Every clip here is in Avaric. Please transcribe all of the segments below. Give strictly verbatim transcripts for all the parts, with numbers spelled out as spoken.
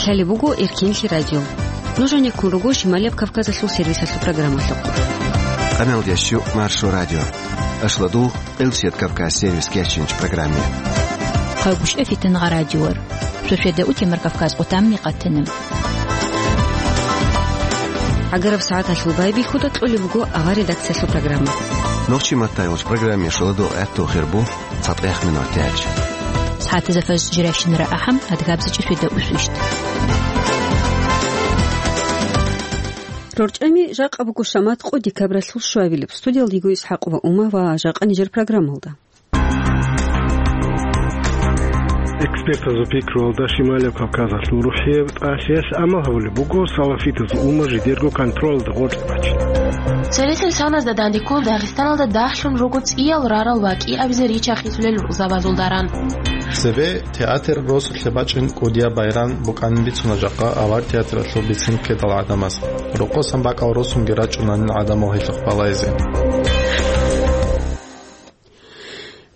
Лъалеб буго Эркенлъи радио. Нуж гьанеккун руго Шималияб Кавказалъул сервисалъул программалъухъ. Къаналдящу Маршо радио. Ашладул Элсият Кавказ сервис кечинч программе. Хъагушев Фитнагъа радиор. Шошеда утемар Кавказ отамни къатанам. Агараб сагӀаталъул байбихьуда кьолеб буго авар редакциялъул программа. Нохчи маттайгъуч программе шоладул гӀатту хирбу. ЦатӀех минутач. СагӀатазда фаз жиращинара ахӀам, адгабзачӀи шведа усвищ. РорчӀами жакъа буго шамат къо декабралъул щуабилеб. Студиялда йиго ИсхӀакъ ва Ума ва жакъа нижер программалда. Экспертазул пикруялда Шималияб Кавказалъул рухӀияб тӀалъиялъ амал гьабулеб буго салафитазул умма жидерго контролалда гъоркь бачине. Цересел саназда дандеккун Дагъистаналда дагьлъун руго цӀиял рарал ва кӀиабизе рича хисулел рукъзабазул даран. Цебе театр росулъе бачӀин кӀудияб байран букӀанин бицуна жакъа авар театралъул бицин ккедал гӀадамаз. Рокъосан бакӀал росунги рачӀунанин гӀадамал гьелъухъ балайзе.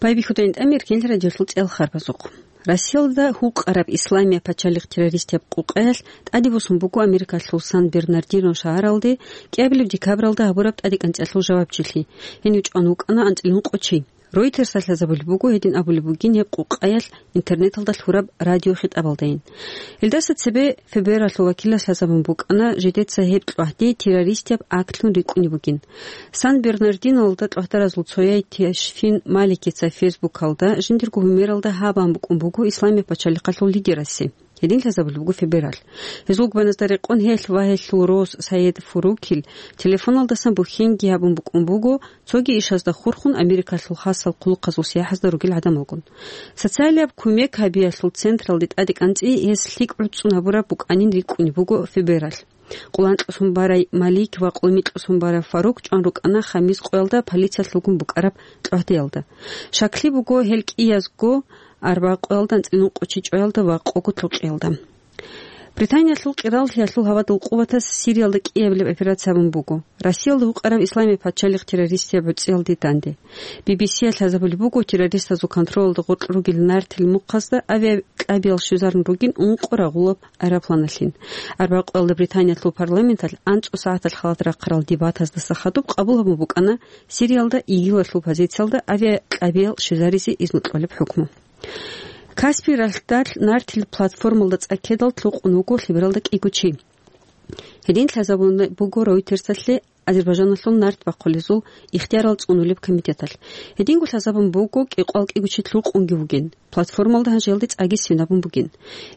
Байбихьуда интӀамир кел радиолъул цӀел харбазухъ. Россиялда гьукъараб Исламия пачалихъ террористияб къукъаялъ тӀаде босун буго Америкалъул Сан-Бернардино шагьаралде кӀиабилеб декабралда гьабураб тӀадекӀанцӀиялъул жавабчилъи. Гьенив чӀван вукӀана анцӀила ункъо чи. Ройтерсалъ лъазабулеб буго гьедин абулеб бугин гьеб къукъаялъ интернеталда лъураб радиохитӀабалдайин. Гьелдаса цебе ФБР-алъул вакилалъ лъазабун букӀана жидеца гьеб кьвагьди террористияб актлъун рикӀкӀунеб бугин. Сан-Бернардиноялда кьвагьдаразул цояй Ташфин Маликица Фейсбукалда жиндирго гьумералда гьабун букӀун буго Исламияб пачалихъалъул лидерасе. Гьедин лъазабулеб буго ФБР-алъ. Гьезул губаназда рекъон гьелъ ва гьелъул рос Саед Фурукил телефоналдасан бухьенги гьабун букӀун буго, цоги ишазда хурхун Америкалъул хасал хъулухъазул сияхӀазда ругел гӀадамалгун. Социалияб кумек гьабиялъул централде тӀадекӀанцӀи гьес лъикӀ гӀуцӀцӀун гьабураб букӀанин рикӀкӀунеб буго ФБР-алъ. Къоло анкьалъун барай Малик ва къоло микьалъун барай Фарук чӀван рукӀана Хамис къоялда полициялъулгун букӀараб кьвагьдиялда. Щаклъи буго гьел кӀиязго арба къоялда анцӀила ункъо чи чӀваялда ва къого лъукъиялда. Британиялъул къираллъиялъул гьавадул къуватаз Сириялда кӀиабилеб операция гьабун буго. Россиялда гьукъараб Исламияб пачалихъ террористияб гӀуцӀиялде данде. Би-би-сиялъ лъазабулеб буго террористазул контролалда гъоркь ругел нартил мухъазда авиакьабиял щвезарун ругин ункъо рагъулаб аэропланалъин. Арбякьуялда Британиялъул парламенталъ анцӀго сагӀаталъ халат рахъарал дебатаздаса хадуб къабул гьабун букӀана Сириялда ИГИЛалъул позициялда авиакьабиял щвезаризе изну кьолеб хӀукму. Каспий ралъдалъ нартил платформалда цӀа ккедал лъукъун вуго лъебералда кӀиго чи. Гьедин лъазабун буго Ройтерсалъе Азербайжаналъул нарт бахъулезул ихтиярал цӀунулеб комитеталъ. Гьединго лъазабун буго кӀикъоял кӀиго чи лъукъунги вугин. Платформалда гьанже гьелде цӀаги синабун бугин.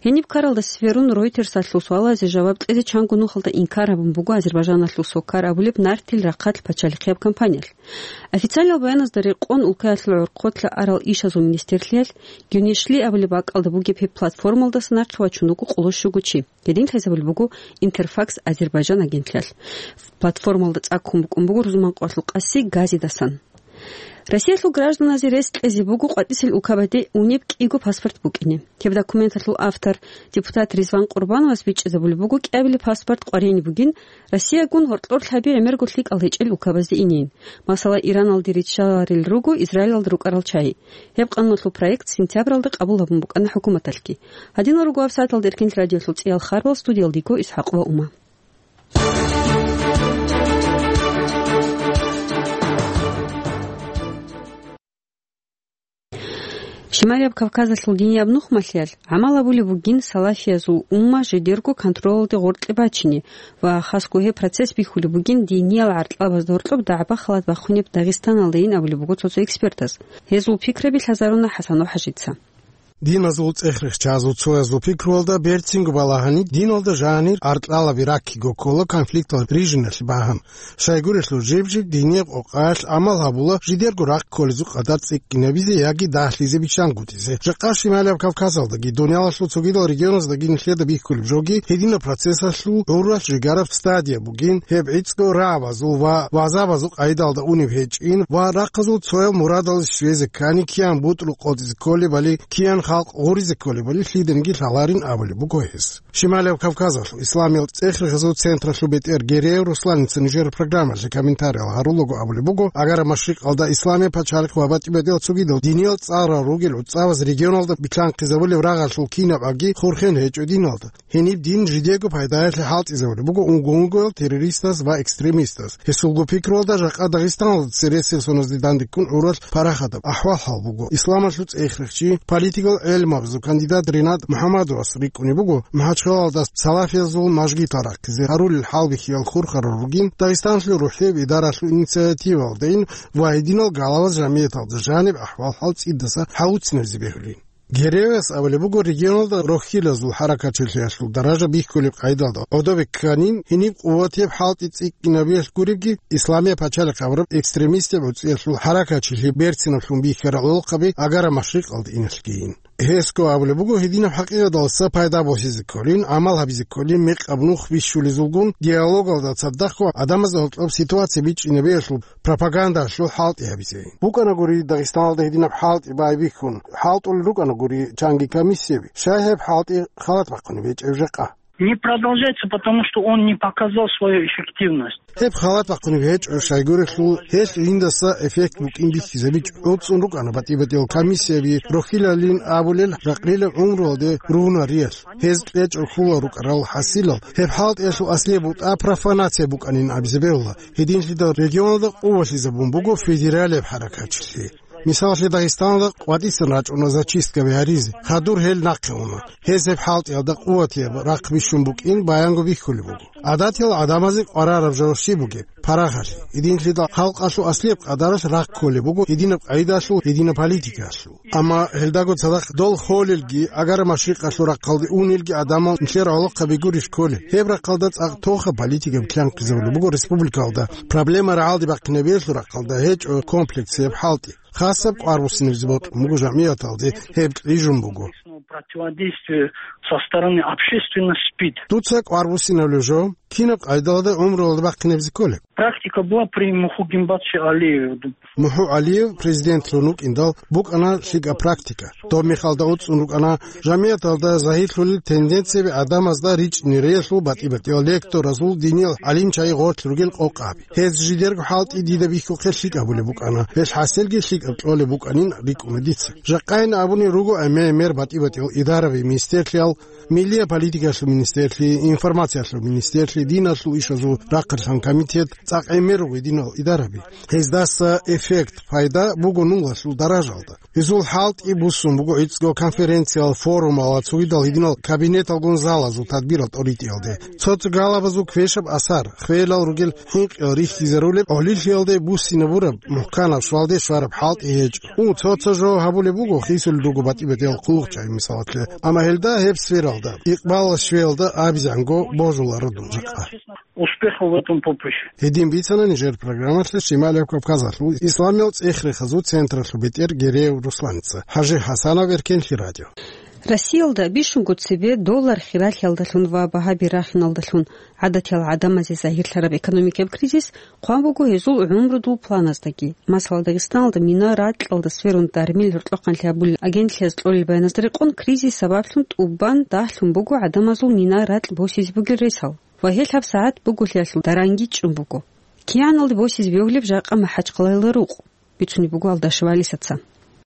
Гьениб ккаралда сверун Ройтерсалъул суалазе жаваб кьезе чанго нухалда инкар гьабун буго Азербайжаналъул Сокар абулеб нартил рахъалъ пачалихъияб компаниялъ. Официалиял баяназда рекъон улкаялъул гӀорхъолъа арал ишазул министрлъиялъ Гюнешли абулеб бакӀалда бугеб гьеб платформалдаса нахъе вачун вуго къоло щуго чи. Гьедин лъазабулеб буго Интерфакс Азербайжан агентлъиялъ. Платформалда цӀа ккун букӀун буго рузман къоялъул къаси газидасан. Россиялъул гражданазе рес кьезе буго къватӀисел улкабаде унеб кӀиго паспорт букӀине. Гьеб документалъул автор, депутат Ризван Къурбановас бичӀчӀизабулеб буго кӀиабилеб паспорт къваригӀине бугин Россиягун гьоркьор лъаби гӀемерго лъикӀал гьечӀел улкабазде инейин. Масала, Ираналде риччаларел руго Израилалда рукӀарал чагӀи. Гьеб къануналъул проект сентябралда къабул гьабун букӀана хӀукуматалъги. Гьадинал руго гьабсагӀаталда Эркин радиолъул цӀиял харбал, студиялда йиго ИсхӀакъ ва Ума. Шималияб Кавказалъул динияб нухмалъиялъ гӀамал гьабулеб бугин салафиязул умма жидерго контролалде гъоркье бачине ва хасго гьеб процесс бихьулеб бугин диниял гӀаркьабазда гьоркьоб дагӀба-халат бахъунеб Дагъистаналдайин абулеб буго цо-цо экспертаз. Гьезул пикраби лъазаруна ХӀасанов ХӀажица. Диназул цӀех-рехчазул цоязул пикруялда берцинго балагьани, диналда жанир аркьалаби раккиго ккола конфликтал рижиналъе багьун. Щайгурелъул жиб-жиб динияб къокъаялъ гӀамал гьабула жидерго рахъ кколезул къадар цӀикӀкӀинабизе яги дагьлъизе биччангутӀизе. Жакъа Шималияб Кавказалдаги, дуниялалъул цогидал регионаздаги нилъеда бихьулеб жоги, гьединаб процессалъул гӀуралъ жигараб стадия бугин, гьеб гӀицӀго рагӀабазул ва вазабазул къайдалда унеб гьечӀин ва рахъазул цоял мурадалде щвезе ккани, киян бутӀрул къотӀизе кколебали, киян халкъ гъуризе кколебали лъиданиги лъаларин абулеб буго гьес. Шималияб Кавказалъул исламиял цӀех-рехазул централъул бетӀер Гереев Русланица нижер программалъе комментариял гьарулаго абулеб буго, Агара Машрикъалда исламияб пачалихъ ва батӀи-батӀиял цогидал диниял цӀарал ругел гӀуцӀаваз регионалда билълъанхъизабулеб рагъалъул кинаб аги хурхен гьечӀо диналда. Гьениб дин жидего пайдаялъе хӀалтӀизабулеб буго унго-унгоял террористаз ва экстремистаз. Гьесулго пикруялда жакъа Дагъистаналда цересел соназде дандеккун гӀурал парахатаб ахӀвал-хӀал буго. Исламалъул цӀех-рехчи, политикал гӀелмабазул кандидат Ринат МухӀамадовас рикӀкӀунеб буго, МахӀачхъалалда салафиязул мажгитал рахъизе гьарулел хӀалбихьиял хурхарал ругин, Дагъистанлъул рухӀияб идаралъул инициативалдайин ва гьединал галаваз жамияталда жаниб ахӀвал-хӀал цӀидаса хӀалуцинабизе бегьулин. Гереевас абулеб буго, регионалда рохьилазул хӀаракатчилъиялъул даража бихьулеб къайдалда гӀодобе кканин, гьениб къуватияб хӀалтӀи цӀикӀкӀинабиялъ гуребги, исламияб пачалихъ абураб экстремистаб гӀуцӀиялъул хӀаракатчилъи берцинаблъун бихьарал гӀолохъаби Агара Машрикъалда иналъгийин. Гьесго абулеб буго, гьединаб хӀакъикъаталдаса пайда босизе кколин, гӀамал гьабизе кколин, мекъаб нух бищулезулгун, диалогалда цадахъго гӀадамазда гьоркьоб ситуация бичӀчӀинабиялъул пропагандалъул хӀалтӀи гьабизе. БукӀанагури Дагъистаналда гьединаб хӀалтӀи байбихьун, хӀалтӀулел рукӀанагури чанги комиссияби, щай гьеб хӀалтӀи халат бахъунеб гьечӀеб жакъа? Не продолжается, потому что он не показал свою эффективность. Гьеб халат бахъунеб гьечӀо, щайгурелъул гьелъ жиндаса эффект букӀин бихьизабичӀо. ГӀуцӀун рукӀана батӀи-батӀиял комиссияби, рохьилалин абулел ракълилеб гӀумруялде ругьунариялъ. Гьез кьечӀого ккола рукӀарал хӀасилал, гьеб хӀалтӀиялъул аслияб бутӀа профанация букӀанин абизе бегьула. Гьединлъидал регионалда къувалъизабун буго федералияб хӀаракатчилъи. Мисалалъе, Дагъистаналда къватӀисан рачӀуна зачисткаби гьаризе, хадур гьел нахъе уна. Гьез гьеб хӀалтӀиялда къуватияб рахъ бищун букӀин баянго бихьулеб буго. ГӀадатиял гӀадамазе къварараб жо щиб бугеб? Парагъалъе. Гьединлъидал халкъалъул аслияб къадаралъ рахъ кколеб буго гьединаб къайдалъул, гьединаб политикалъул. Амма гьелдаго цадахъ дол холелги, Агара Машрикъалъул рахъалде унелги гӀадамал нилъер гӀолохъаби гурищ кколел? Гьеб рахъалда цӀакъ тоха политика билълъанхъизабулеб буго республикалда. Проблема рагӀалде бахъинабиялъул рахъалда гьечӀо комплексияб хӀалтӀи. Хасаб кӀвар буссинабизе бокьун буго жамияталде, гьеб кьижун буго. Противодействие со стороны общественности спит. Дуца кӀвар буссинабулев жо, кинаб къайдалда гӀумруялда бахъинабизе кколеб? Практика была при Муху Гимбатовиче Алиеве. МухӀу ГӀалиев президентлъун вукӀиндал букӀана лъикӀаб практика. Доб мехалда уцӀцӀун рукӀана жамияталда загьирлъулел тенденцияби, гӀадамазда ричӀнериялъул батӀи-батӀиял лекторазул, диниял гӀалимчагӀи гъорлъ ругел къокъаби. Гьез жидерго хӀалтӀи дида бихьухъе лъикӀаб гьабулеб букӀана, гьелъ хӀасилги лъикӀаб кьолеб букӀанин рикӀкӀуна дица. Жакъайин абуни руго гӀемер-гӀемер батӀи-батӀиял идараби, министерлъиял, Миллияб политикалъул министерлъи, информациялъул министерлъи, диналъул ишазул рахъалъан комитет, цӀакъ гӀемер руго динал идараби. Гьездаса эффект, пайда буго нулалъул даражалда. Гьезул хӀалтӀи буссун буго гӀицӀго конференциял, форумал ва цогидал гьединал кабинеталгун залазул тадбирал тӀоритӀиялде. Цо-цо галабазул квешаб асар, хвелал ругел хӀинкъиял рихьизарулеб гӀолилъиялде буссинабураб мухӀканаб щвалде щвараб хӀалтӀи гьечӀо. Гьу, цо-цо жо гьабулеб буго, хисулел руго батӀи-батӀиял хъулухъчагӀи, мисалалъе. Амма гьелда гьеб сфералда, икъбалалъ щвеялда абизанго божуларо дун жакъа. Успехов в этом поприще. Гьедин бицана нижер программалъе Шималияб Кавказалъул исламиял цӀех-рехазул централъул бетӀер Гереев Русланица. ХӀажи ХӀасанов, Эркенлъи радио. Россиялда бищунго цебе доллар хиралъиялдалъун ва багьаби рахиналдалъун гӀадатиял гӀадамазе загьирлъараб экономикаб кризис хъван буго гьезул гӀумрудул планаздаги. Масала, Дагъистаналда мина ракьалда сверун дармил гьоркьохъанлъи гьабулел агентлъияз кьолел баяназда рекъон, кризис сабаблъун тӀубан дагьлъун буго гӀадамазул мина ракь босизе бугел ресал ва гьелъ гьабсагӀат буголъиялъул даранги чӀун буго. КигӀаналде босизе бегьулеб жакъа МахӀачхъалаялда рукъ? Бицунеб буго Алдашев Алисаца.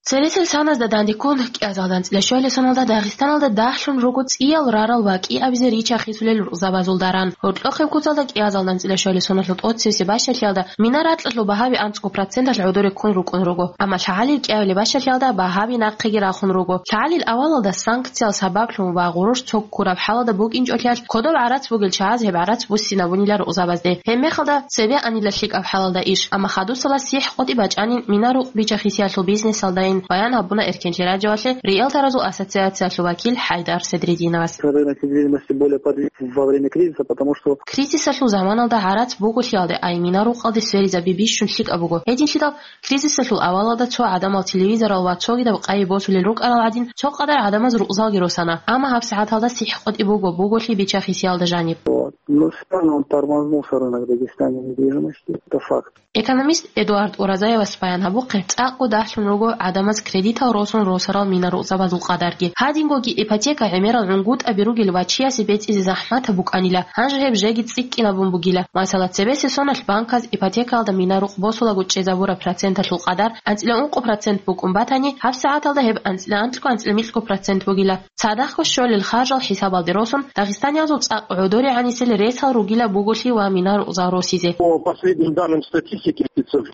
Цересел соназда дандеккун, кӀиазал данцӀила щвалел соналда Дагъистаналда дагьлъун руго цӀиял рарал ва кӀиабизе рича-хисулел рукъзабазул даран. Гьоркьохъеб куцалда кӀиазал данцӀила щвалел соналъул тӀоцебесеб бащалъиялда мина ракьалъул багьаби анцӀго проценталъ гӀодоре ккун рукӀун руго. Амма лъагӀалил кӀиабилеб бащалъиялда багьаби нахъеги рахун руго. ЛъагӀалил авалалда санкциял сабаблъун ва гъурущ цо ккураб хӀалалда букӀинчӀолъиялъ, кодоб гӀарац бугел чагӀаз гьеб гӀарац буссинабунила рукъзабазде. Гьеб мехалда цебе анила лъикӀаб хӀалалда иш, амма хадусала сихӀ-къотӀи бачӀанин мина рукъ бича-хисиялъул бизнесалдайин, баян гьабуна Эркенлъи радиоялъе риэлторазул ассоциациялъул вакил ХӀайдар Седрединовас. Рынок недвижимости более подвижен во время кризиса, потому что Кризисалъул заманалда гӀарац буголъиялде ай мина рукъалде сверизаби бищун лъикӀаб буго. Гьединлъидал кризисалъул авалалда цо гӀадамал телевизорал ва цогидаб къайи босулел рукӀарал гӀадин, цо къадар гӀадамаз рукъзалги росана, амма гьабсагӀаталда сихӀ-къотӀи буго, буголъи бича-хисиялда жаниб. Вот. Ну, сильно он тормознул рынок Дагестане недвижимости. Это факт. Экономист Эдуард Уразаевас баян гьабухъе, цӀакъго дагьлъун руго гӀадамаз кредитал росун росарал мина рукъзабазул къадарги. Гьадингоги ипотека гӀемерал гӀунгутӀаби ругел ва чиясе бецӀизе захӀматаб букӀанила, гьанже гьеб жеги цӀикӀкӀинабун бугила. Масала, цебесеб соналъ банказ ипотекаялда мина рукъ босулаго чӀезабураб проценталъул къадар анцӀила ункъо процент букӀун батани, гьабсагӀаталда гьеб анцӀила анлъго-анцӀила микьго процент бугила. Цадахъго щолел харжал хӀисабалде росун, дагъистаниязул цӀакъ гӀодоригӀанисел ресал ругилаб буголъи ва мина рукъзал росизе. По последним данным статистики,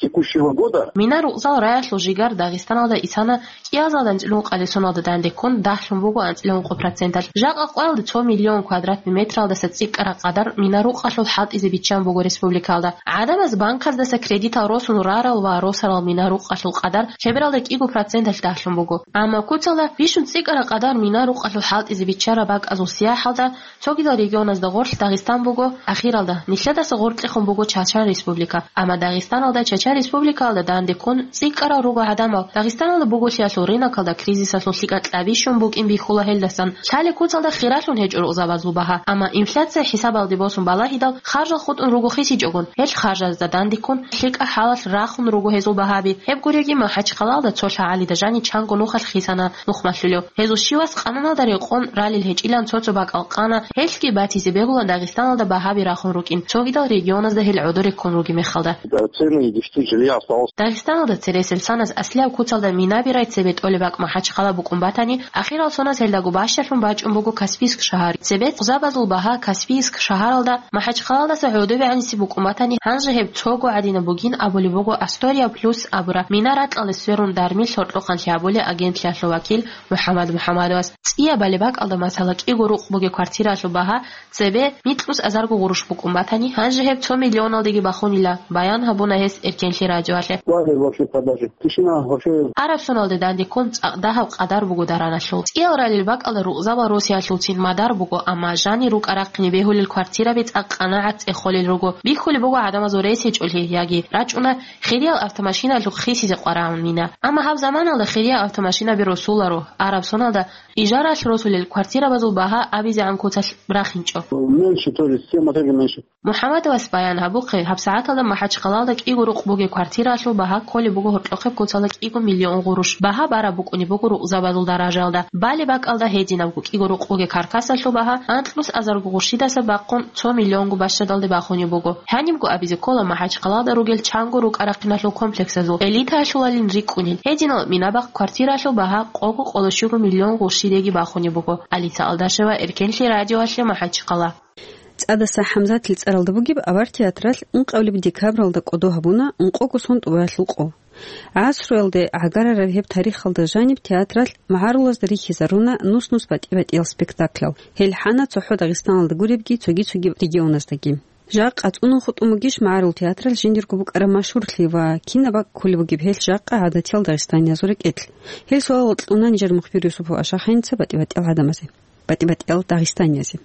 текущего года. Мина рукъзал раялъул жигар Дагъистаналда исана кӀиазал данцӀилъун къалесоналда дандеккун дагьлъун буго анцӀила ункъо проценталъ. Жакъа къоялда цо миллион квадратный метралдаса цӀикӀкӀараб къадар мина рукъалъул хӀалтӀизе биччан буго республикалда. ГӀадамаз банказдаса кредитал росун рарал ва росарал мина рукъалъул къадар лъебералда кӀиго проценталъ дагьлъун буго. Амма куцалда бищун цӀикӀкӀараб къадар мина рукъалъул хӀалтӀизе биччараб бакӀазул сияхӀалда цогидал регионазда гъорлъ Дагъистан буго ахиралда, нилъедаса гъоркьехун буго Чача Республика. Амма Дагъистаналда, Чача Республикаялда дандеккун цӀикӀкӀарал руго гӀадамал. Дагъистаналда буголъиялъул рынокалда кризисалъул лъикӀаб кьабищун букӀин бихьула гьелдасан. Лъалеб куцалда хиралъун гьечӀо рукъзабазул багьа. Амма инфляция хӀисабалде босун балагьидал, харжал хутӀун руго хисичӀогун, гьел харжазда дандеккун, лъикӀаб хӀалалъ рахун руго гьезул багьаби. Гьеб гуреги, МахӀачхъалаялда цо лъагӀалида жани чанго нухалъ хисана нухмалъулев. Гьезул щивас къананалда рекъон ралел гьечӀилан цо-цо бакӀал къана, гьелъги батизе бегула Дагъистаналда багьаби рахун рукӀин, цогидал регионазда гьел гӀодоре ккун ругеб мехалда. Да, цены и дешти жилья осталось. Дагъистаналда цересел санас аслияб куцалда минаби рай цебе тӀолеб бакӀ МахӀачхъала букӀун батани, ахирал соназ гьелдаго бащалъун бачӀун буго Каспийск шагьар. Цебе рукъзабазул багьа Каспийск шагьаралда МахӀачхъалаялдаса гӀодобегӀанисе букӀун батани, гьанже гьеб цого гӀадинаб бугин абулеб буго Астория Плюс абураб мина ракьалде сверун дармил гьоркьохъанлъи гьабулеб агентлъиялъул вакил МухӀаммад МухӀаммадовас. ЦӀиябали бакӀалда, масала, кӀиго рукъ бугеб квартираялъул багьа цебе микьус азарго гъурущ букӀун батани, гьанже гьеб цо миллионалдеги бахунила, баян гьабуна гьес Эркенлъи радиоялъе. Вале вообще продажи. Тишина вообще. Араб соналде дандеккун цӀакъ дагьаб къадар буго дараналъул. ЦӀиял ралел бакӀалда рукъзабал росиялъулцин мадар буго, амма жани рукӀа-рахъине бегьулел квартираби цӀакъ къанагӀат цӀехолел руго. Бихьулеб буго гӀадамазул рес гьечӀолъи, яги рачӀуна хириял автомашиналъухъ хисизе къварагӀун мина. Амма гьаб заманалда хириял автомашинаби росуларо, араб соналда ижаралъ росулел квартирабазул багьа абизегӀан куцалъ рахинчӀо. Меньше, то есть семь этажей меньше. МухӀаммадовас баян гьабухъе, гьабсагӀаталда МахӀачхъалаялда кӀиго рукъ бугеб квартираялъул багьа кколеб буго гьоркьохъеб куцалда кӀиго миллион гъурущ. Багьа бараб букӀунеб буго рукъзабазул даражаялда. Балеб бакӀалда гьединабго кӀиго рукъ бугеб каркасалъул багьа анкьнус азарго гъурщидаса бахъун цо миллионго бащадалде бахунеб буго. Гьанибго абизе ккола МахӀачхъалаялда ругел чанго рукӀа-рахъиналъул комплексазул элитаялъулалин рикӀкӀунел. Гьединал мина-бахъ квартираялъул багьа къого-къоло щуго миллион гъурщидеги бахунеб буго. Алиса Алдашева, Эркенлъи радиоялъе, МахӀачхъала. ЦӀадаса ХӀамзатил цӀаралда бугеб авар театралъ ункъабилеб декабралда кӀодо гьабуна ункъого сон тӀубаялъул къо. ГӀасруялде гӀагарараб гьеб тарихалда жаниб театралъ магӀарулазда рихьизаруна нус-нус батӀи-батӀиял спектаклял. Гьел хӀана цохӀо Дагъистаналда гуребги цоги-цоги регионаздаги. Жакъа цӀунун хутӀун бугищ магӀарул театралъ жиндирго букӀараб машгьурлъи ва кинаб бакӀ кколеб бугеб гьелъ жакъа гӀадатиял дагъистаниязул рекӀелъ? Гьел суал кьуна нижер мухбир Юсупов Ашаханица батӀи-батӀиял гӀадамазе, батӀи-батӀиял дагъистаниязе.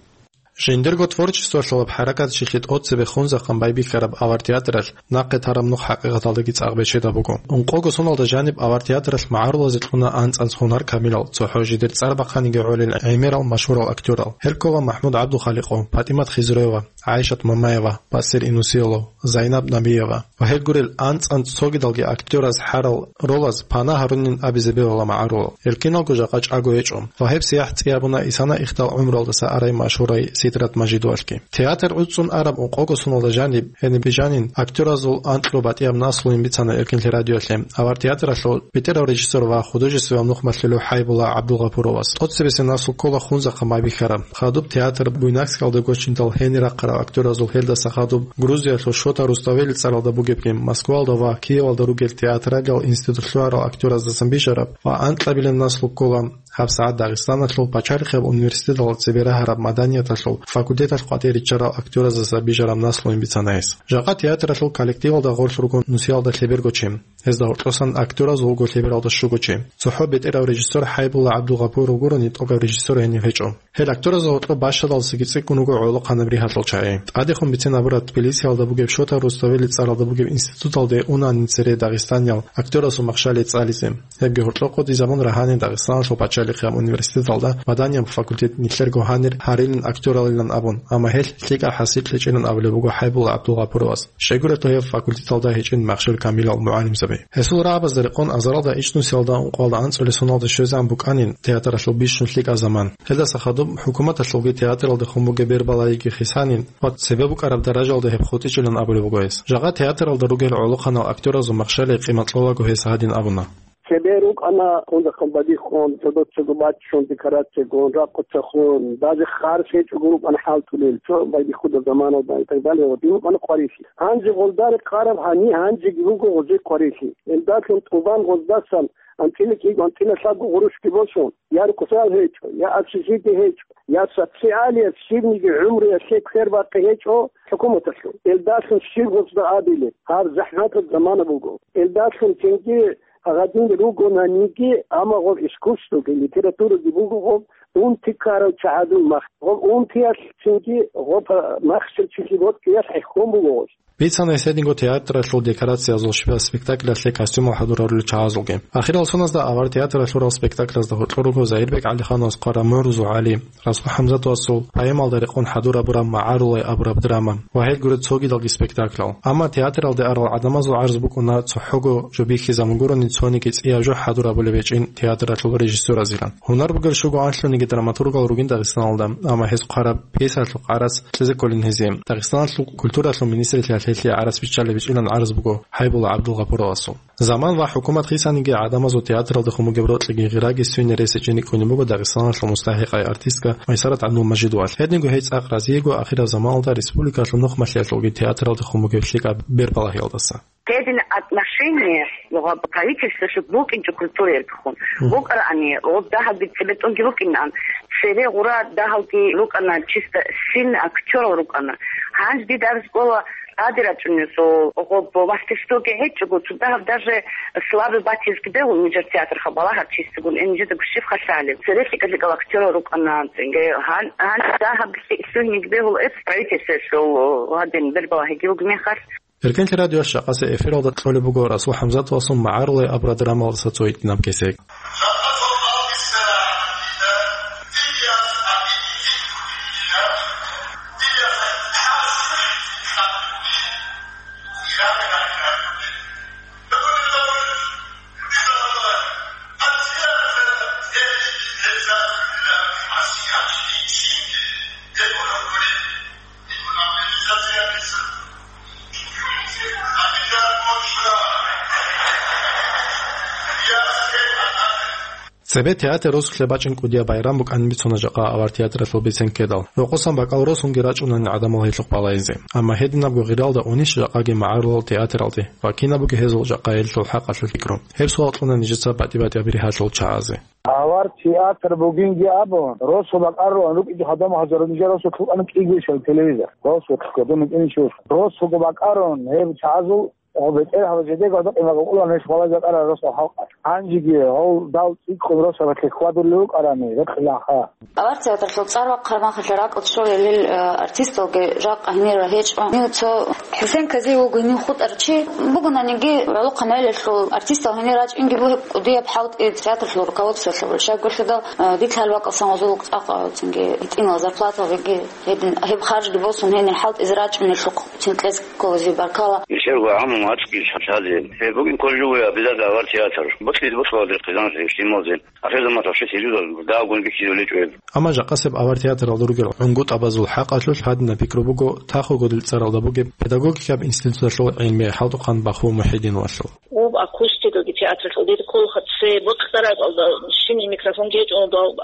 Жиндирго творчествоялъул гьаб хӀаракатчилъи тӀоцебе хунзахъан байбихьараб авар театралъ нахъе тараб нух хӀакъикъаталдаги цӀакъ бечедаб буго. Ункъого соналда жаниб авар театралъ магӀарулазе кьуна анцӀанлъ гьунар камилал, цохӀо жидер цӀар бахъаниги гӀолел гӀемерал машгьурал актёрал. Гьел ккола МахӀмуд ГӀабдулхаликъов, ПатӀимат Хизроева, ГӀайшат Мамаева, Басир Инусиолов, Зайнаб Набиева ва гьел гурел анцӀанцӀ цогидалги актёраз хӀарал ролаз пана гьарунин абизе бегьула магӀарулал. Гьел киналго жакъа чӀаго гьечӀо. Ва гьеб сияхӀ цӀи гьабуна исана ихтал гӀумруялдаса арай машгьурай Сидрат Мажидовалъги. Театр гӀуцӀцӀун араб ункъого соналда жаниб, гьениб жанин, актёразул анкьго батӀияб наслуян бицана Эркенлъи радиоялъе авар театралъул бетӀерав режиссёр ва художествояв нухмалъулев ХӀайбулла ГӀабдулгъапуровас. ТӀоцебесеб наслу ккола хунзахъан байбихьараб. Хадуб театр Буйнакскалда гочиндал гьенир рахъарал актёразул, гьелдаса хадуб Грузиялъул Шота Руставели цӀаралда бугебги, Москваялда ва Киевалда ругел театралиял институтлъугьарал актёраздасан бижараб ва анкьабилеб наслу ккола гьабсагӀат Дагъистаналъул пачалихъияб университеталда цебе рагьараб маданияталъул факультеталъ къватӀир риччарал актёраздаса бижараб наслуян бицана гьес. Жакъа театралъул коллективалда гъорлъ руго нусиялда лъеберго чи. Гьезда гьоркьосан актёраз вуго лъебералда щуго чи. ЦохӀо бетӀерав режиссёр ХӀайбулла ГӀабдулгъапуров гурони тӀокӀаб режиссёр гьенив гьечӀо. Гьел актёразда гьоркьоб бащадалдасаги цӀикӀкӀун руго гӀолохъанаб ригьалъул чагӀи. ТӀадехун бицин абураб, Тбилисиялда бугеб Шота Руставели цӀаралда бугеб институталде унанин цере дагъистаниял актёрасул махщел цӀализе. Гьебги гьоркьоб къотӀизабун рагьанин Дагъистаналъул пачалихъ. Бахъияб университеталда маданияб факультет нилъерго гьанир гьарилин актёралилан абун, амма гьелъ лъикӀаб хӀасил кьечӀилан абулеб буго ХӀайбул ГӀабдулгъапуровас. Щайгурелъул гьеб факультеталда гьечӀин Махщел Камилал мугӀалимзаби. Гьесул рагӀабазда рекъон азаралда ичӀнусиялда ункъоялда анцӀулесуналда щвезегӀан букӀанин театралъул бищун лъикӀаб заман. Гьелдаса хадуб хӀукуматалъулги театрлъулги хъумуге бербалагиги хисанин ва цебе букӀараб даражалда гьеб хутӀичӀилан абулеб буго гьес. Жагъа театралда ругел гӀолохъанал актёразул махщалихъ къимат кьолаго гьес гьадин абуна. Цебе рукӀана, кунзахъан бадихъун, цо-, цого баччун, декорациягун, ракъуцахун, даже харс гьечӀого рукӀана хӀалтӀулел, цо байдихъуда заманалда и так далее, ва дин рукӀана къварилъи. Гьанже гъолда рекъараб гьани, гьанжеги руго гъозе къварилъи. Элдалъун тӀубан гъоздасан анцӀила кӀиго, анцӀила лъабго гъурущги босун, я рукъзал гьечӀо, я общежитие гьечӀо, я социалияб щибниги гӀумруялъе квербакъи гьечӀо хӀукуматалъул. Элдалъун щиб гъозда абилеб? Гьаб захӀматаб замана буго. Элдалъун цинги гьадин ругонаниги, амма гъоб искусствоги, литератураги буго гъоб унти ккарав чагӀазул мах. Гъоб унтиялъ цинги гъоб махщел чилъи бокьиялъ хӀехьон буго гъоз. Бицана гьес гьединго театралъул декорациязул щибаб спектаклялъе костюмал хӀадурарулел чагӀазулги. Ахирал соназда авар театралъ лъурал спектаклазда гьоркьор руго Загьирбек ГӀалихановас хъвараб МухӀрузул ГӀали, Расул ХӀамзатовасул поэмалда рекъон хӀадурабураб МагӀарулай абураб драма ва гьел гуреб цогидалги спектаклял. Амма театралде арал гӀадамазул гӀарз букӀуна цохӀого жо бихьизабун гурони цониги цӀияб жо хӀадурабулеб гьечӀин театралъул режиссёразилан. Гьунар бугел щуго анлъуниги драматургал ругин Дагъистаналда, амма гьез хъвараб пьесалъул къарас кьезе кколин гьезие. Дагъистаналъул культуралъул министрилъа гьелъие гӀарас биччалеб гьечӀилан гӀарз буго ХӀайбул ГӀабдулгъапуровасул. Заман ва хӀукумат хисаниги гӀадамазул театралда хъумугеб рокьиги гъираги свине рес гьечӀин рикӀкӀунеб буго Дагъистаналъул мустахӀикъай артистка Майсарат ГӀабдулмажидовалъ. Гьединго гьей цӀакъ разиего ахираб заманалда республикалъул нухмалъиялъулги театралда хъумугеб лъикӀаб бербалагьиялдаса. Гьедин отношение гъоб правительстволъул букӀинчӀо культураялдехун. Мгм. БукӀарани, гъоб дагьабги цебетӀунги букӀинан, цере гъура дагьалги рукӀана, чисто сильный актёрал рукӀана. Гьанже дида абиз кӀола, тӀаде рачӀунесул гъоб мастерствоги гьечӀого, цо дагьаб даже слабый батизги бегьул нижер театрха балагьар чистагун, э, нижеда гущиб халъалеб. Цере лъикӀа-лъикӀал актёрал рукӀана, цинги гьан-, гьанже дагьаб лъи-, лъугьиниг бегьул эц правительстволъул гьадин бербалагьиги буго мехалъ. Эркенлъи радиоялъ жакъасеб эфиралда кьолеб буго Расул ХӀамзатовасул МагӀарулай абураб драмалдаса цо гьитӀинаб кесек. Цебе театр росулъе бачӀин кӀудияб байрам букӀанин бицуна жакъа авар театралъул бицен ккедал. Рокъосан бакӀал росунги рачӀунани гӀадамал гьелъухъ балайзе. Амма гьединабго гъиралда унищ жакъаги магӀарулал театралде ва кинабго гьезул жакъа гьелъул хӀакъалъулъ пикру? Гьеб суал кьуна нижеца батӀи-батӀияб ригьалъул чагӀазе. Авар театр бугинги абун, росу бакӀарулан рукӀинчӀо гьадамал гьазар нижер росу лъукъана кӀиго ишал телевизор. Росу кодун кӀинчӀо. Росуго бакӀарун гьеб чагӀазул, гьеб бетӀер гьаб жидего гьадакъин бакӀулан гьес хвалай бакӀарал росу халкъ. Гьанжеги гьав дал цӀикӀкӀун росабалъе хьвадулев вукӀарани, рекъилаха. Авар театрлъул цӀар вахъараб мехалъ ракӀалде щварал гьел, э, артисталги жакъа гьенир гьечӀо. Гьев цо ХӀусен Казиев вуго гьенив хутӀарав чи. Бугонаниги, гӀолохъанал гӀелалъул артистал гьенир рачӀинги бугеб кӀудияб хӀалтӀи театрлъул руководстволъа бугеб. Щайгурелъул, э, дида гьалаб бакӀалдасан гъозул цӀакъ, э, цинги гьитӀинал зарплаталги, гьедин, гьеб харжги босун гьенир хӀалтӀизе рачӀунелъухъ цин кьезе кколазе баркала. Нилъерго гӀамму мацӀги лъазе. Гьеб бугин кожуя бизада авар театр. Ботлъизе бокьулазе хъизаналъе, гьитӀиналъе. Ахирзаман тавше серьёзно дагьабгун бихьизулечӀо гьеб. Амма жакъасеб авар театралда ругел гӀунгутӀабазул хӀакъалъулъ гьадинаб пикру буго Тахо-Гудил цӀаралда бугеб педагогикаб институталъул гӀилмияй хӀалтӀухъан Баху МухӀидиновалъул. Об акустикаги театралъул дир кколха цебе бокьараб кӀалда щиб микрофон гьечӀо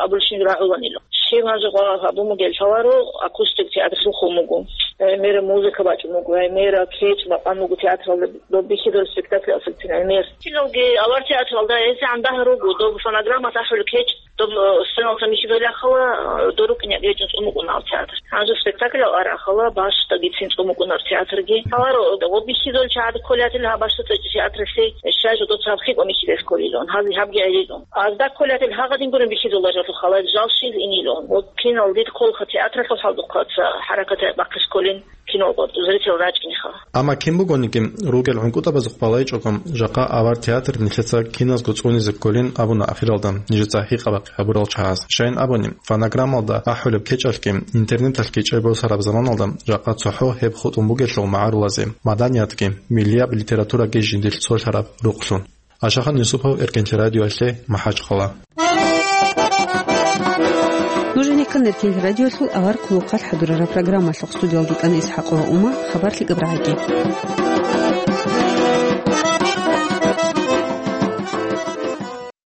абулщин рагӀуланила. Щиб гьанже гъо гьабун бугел лъаларо, акустик театралъухъ буго. Гьай мера музыка бачӀун буго, гьай мера кечӀ бакъан буго театралда доб бихьидал спектакль асубцин гьай мер. Киналги авар театралда гьезегӀан дагьа руго, доб фонограмма тахӀулеб кечӀ, доб, э, сценалда михьидал яхала, э, дорукӀине гьечӀун цӀун букӀунал театр. Гьанже спектакль арахала, бащдагицин цӀун букӀунаб театрги. Гьаларо, э, доб бихьидал чагӀад кколятил гьаб бащда цӀечӀи театралъе, э, щай жо доцаб хикӀун михьидал кколилун, гьази гьабги гӀелилун. Азда кколател гьагъадин гурин бихьизулла жал халай, жал щиз инилун. Ва кинал дид кколха театралъул хӀалдухъаца хӀаракат бахъис кколин. кино зритель рачӀинеха. Амма кин бугониги, ругел гӀункӀутӀабазухъ балайчӀого, жакъа авар театр нилъеца киназго цӀунизе кколин абуна ахиралда нижеца гьикъа-бахъи гьабурал чагӀаз. Щайин абуни, фонограммалда ахӀулеб кечӀалъги интернеталъги чӀебосараб заманалда жакъа цохӀо гьеб хутӀун бугелъул магӀарулазе маданиятги, миллияб литератураги жиндилъ цолъараб рукълъун. Ашахан Юсупов, Эркенлъи радиоялъе, МахӀачхъала. Нуженикан Эркенлъи радиоялъул авар хъулухъалъ хӀадурараб программалъухъ студиялги кӀана Исхьакъова Ума, хабар лъикӀаб рагӀаги.